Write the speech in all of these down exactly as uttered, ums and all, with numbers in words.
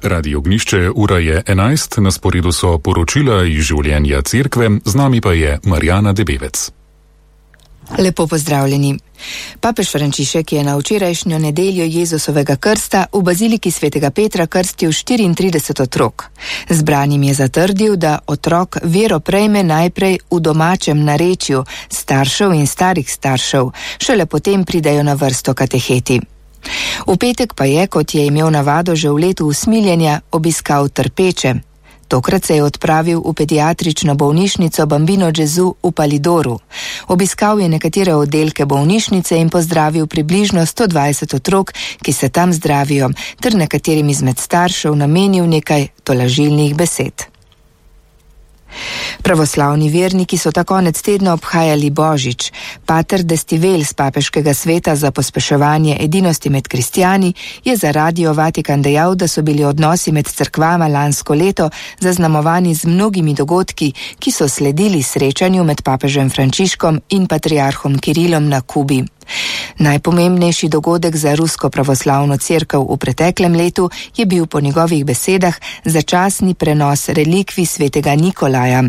Radio Ognjišče, ura je enajst, na sporedu so poročila iz življenja cerkve, z nami pa je Marjana Debevec. Lepo pozdravljeni. Papež Frančišek je na včerajšnjo nedeljo Jezusovega krsta v baziliki svetega Petra krstil štiriintrideset otrok. Zbranim je zatrdil, da otrok vero prejme najprej v domačem narečju staršev in starih staršev, šele potem pridejo na vrsto kateheti. V petek pa je, kot je imel navado že v letu usmiljenja, obiskal trpeče. Tokrat se je odpravil v pediatrično bolnišnico Bambino Gesù v Palidoru. Obiskal je nekatere oddelke bolnišnice in pozdravil približno sto dvajset otrok, ki se tam zdravijo, ter nekaterim izmed staršev namenil nekaj tolažilnih besed. Pravoslavni verniki so ta konec tedna obhajali Božič. Pater Destivel z papeškega sveta za pospeševanje edinosti med kristjani je za Radio Vatikan dejal, da so bili odnosi med cerkvama lansko leto zaznamovani z mnogimi dogodki, ki so sledili srečanju med papežem Frančiškom in patriarhom Kirilom na Kubi. Najpomembnejši dogodek za rusko pravoslavno cerkev v preteklem letu je bil po njegovih besedah začasni prenos relikvij svetega Nikolaja.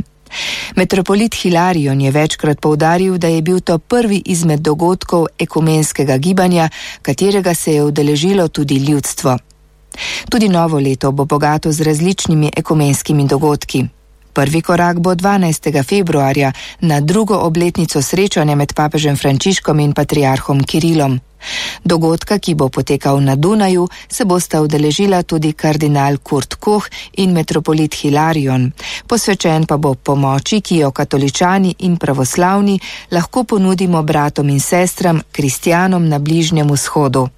Metropolit Hilarion je večkrat poudaril, da je bil to prvi izmed dogodkov ekumenskega gibanja, katerega se je udeležilo tudi ljudstvo. Tudi novo leto bo bogato z različnimi ekumenskimi dogodki. Prvi korak bo dvanajstega februarja na drugo obletnico srečanja med papežem Frančiškom in patriarhom Kirilom. Dogodka, ki bo potekal na Dunaju, se bosta udeležila tudi kardinal Kurt Koch in metropolit Hilarion. Posvečen pa bo pomoči, ki jo katoličani in pravoslavni lahko ponudimo bratom in sestram, kristjanom na Bližnjem vzhodu.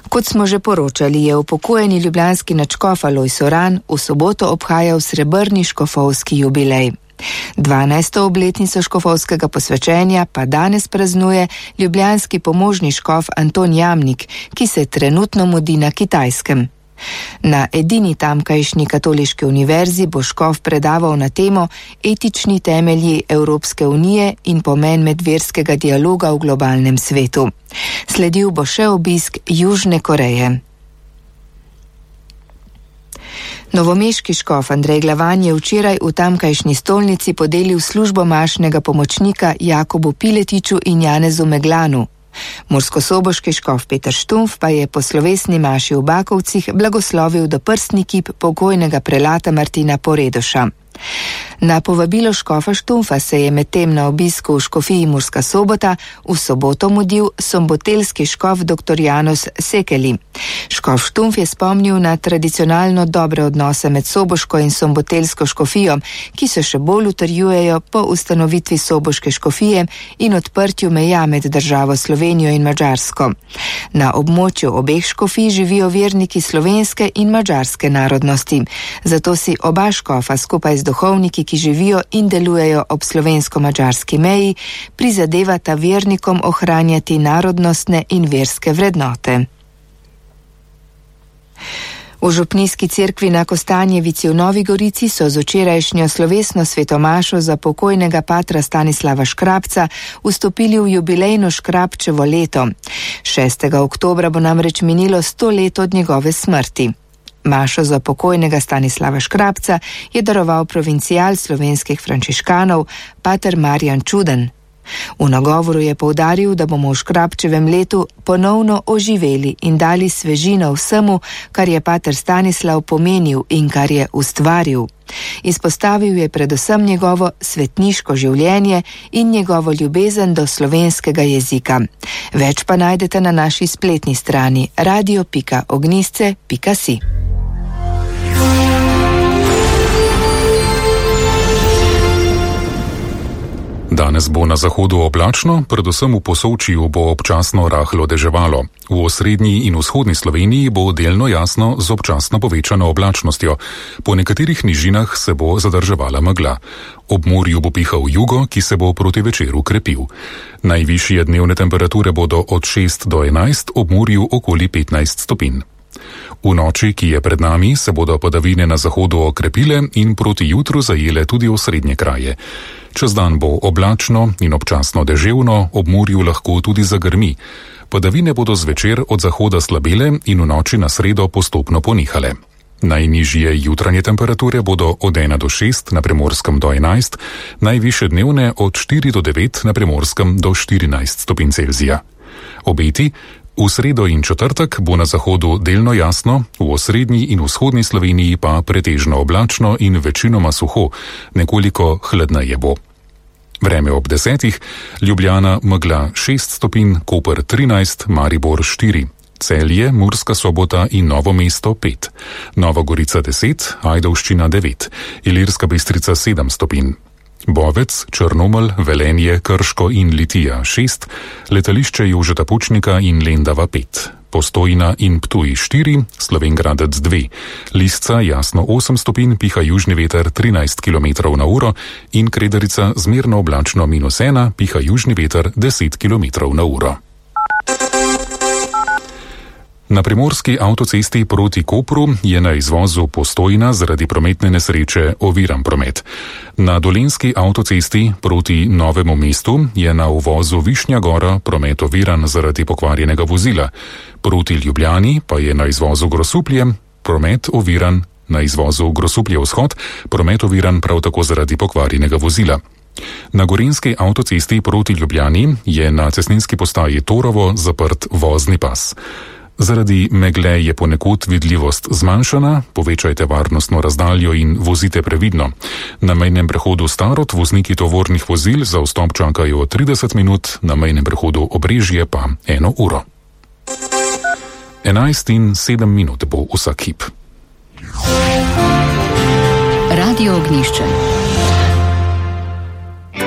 Kot smo že poročali, je upokojeni ljubljanski nadškof Alojz Uran v soboto obhajal srebrni škofovski jubilej. dvanajsto obletnico škofovskega posvečenja pa danes praznuje ljubljanski pomožni škof Anton Jamnik, ki se trenutno mudi na Kitajskem. Na edini tamkajšnji katoliški univerzi bo škof predaval na temo Etični temelji Evropske unije in pomen medverskega dialoga v globalnem svetu. Sledil bo še obisk Južne Koreje. Novomeški škof Andrej Glavan je včeraj v tamkajšnji stolnici podelil službo mašnega pomočnika Jakobu Piletiču in Janezu Meglanu. Murskosoboški škof Peter Štumf pa je po slovesni maši v Bakovcih blagoslovil doprstni kip pokojnega prelata Martina Poredoša. Na povabilo škofa Štumfa se je medtem na obisku v škofiji Murska Sobota v soboto mudil sombotelski škof dr. Janus Sekeli. Škof Štumf je spomnil na tradicionalno dobre odnose med soboško in sombotelsko škofijo, ki se še bolj utrjujejo po ustanovitvi soboške škofije in odprtju meja med državo Slovenijo in Madžarsko. Na območju obeh škofij živijo verniki slovenske in madžarske narodnosti, zato si oba škofa skupaj z duhovniki, ki živijo in delujejo ob slovensko-madžarski meji, prizadevata vernikom ohranjati narodnostne in verske vrednote. V župnijski cerkvi na Kostanjevici v Novi Gorici so z včerajšnjo slovesno svetomašo za pokojnega patra Stanislava Škrabca vstopili v jubilejno Škrabčevo leto. šestega oktobra bo namreč minilo sto let od njegove smrti. Mašo za pokojnega Stanislava Škrabca je daroval provincial slovenskih frančiškanov, pater Marjan Čuden. V nagovoru je poudaril, da bomo v Škrabčevem letu ponovno oživeli in dali svežino vsemu, kar je pater Stanislav pomenil in kar je ustvaril. Izpostavil je predvsem njegovo svetniško življenje in njegovo ljubezen do slovenskega jezika. Več pa najdete na naši spletni strani radio pika ognjišče pika si. Danes bo na zahodu oblačno, predvsem v Posočju bo občasno rahlo deževalo. V osrednji in vzhodni Sloveniji bo delno jasno z občasno povečano oblačnostjo. Po nekaterih nižinah se bo zadrževala megla. Ob morju bo pihal jugo, ki se bo proti večeru krepil. Najvišje dnevne temperature bodo od šest do enajst, ob morju okoli petnajst stopinj. V noči, ki je pred nami, se bodo padavine na zahodu okrepile in proti jutru zajele tudi osrednje kraje. Čez dan bo oblačno in občasno deževno, ob morju lahko tudi zagrmi. Padavine bodo zvečer od zahoda slabele in v noči na sredo postopno ponehale. Najnižje jutranje temperature bodo od ena do šest, na Primorskem do enajst, najvišje dnevne od štiri do devet, na Primorskem do štirinajst stopinj Celzija. Obeti: v sredo in četrtek bo na zahodu delno jasno, v osrednji in vzhodni Sloveniji pa pretežno oblačno in večinoma suho, nekoliko hladneje bo. Vreme ob desetih: Ljubljana megla šest stopinj, Koper trinajst, Maribor štiri. Celje, Murska Sobota in Novo mesto pet, Nova Gorica deset, Ajdovščina devet, Ilirska Bistrica sedem stopinj, Bovec, Črnomelj, Velenje, Krško in Litija šest, letališče Jožeta Pučnika in Lendava pet, Postojna in Ptuj štiri, Slovenj Gradec dve, Lisca jasno osem stopinj, piha južni veter trinajst kilometrov na uro in Kredarica zmerno oblačno minus ena, piha južni veter deset kilometrov na uro. Na primorski avtocesti proti Kopru je na izvozu Postojna zaradi prometne nesreče oviran promet. Na dolenjski avtocesti proti Novemu mestu je na uvozu Višnja Gora promet oviran zaradi pokvarjenega vozila. Proti Ljubljani pa je na izvozu Grosuplje promet oviran, na izvozu Grosuplje vzhod promet oviran prav tako zaradi pokvarjenega vozila. Na gorenjski avtocesti proti Ljubljani je na cestninski postaji Torovo zaprt vozni pas. Zaradi megle je ponekod vidljivost zmanjšana, povečajte varnostno razdaljo in vozite previdno. Na mejnem prehodu Starod vozniki tovornih vozil za vstop čakajo trideset minut, na mejnem prehodu Obrežje pa eno uro. enajst in sedem minut bo vsak hip. Radio Ognjišče.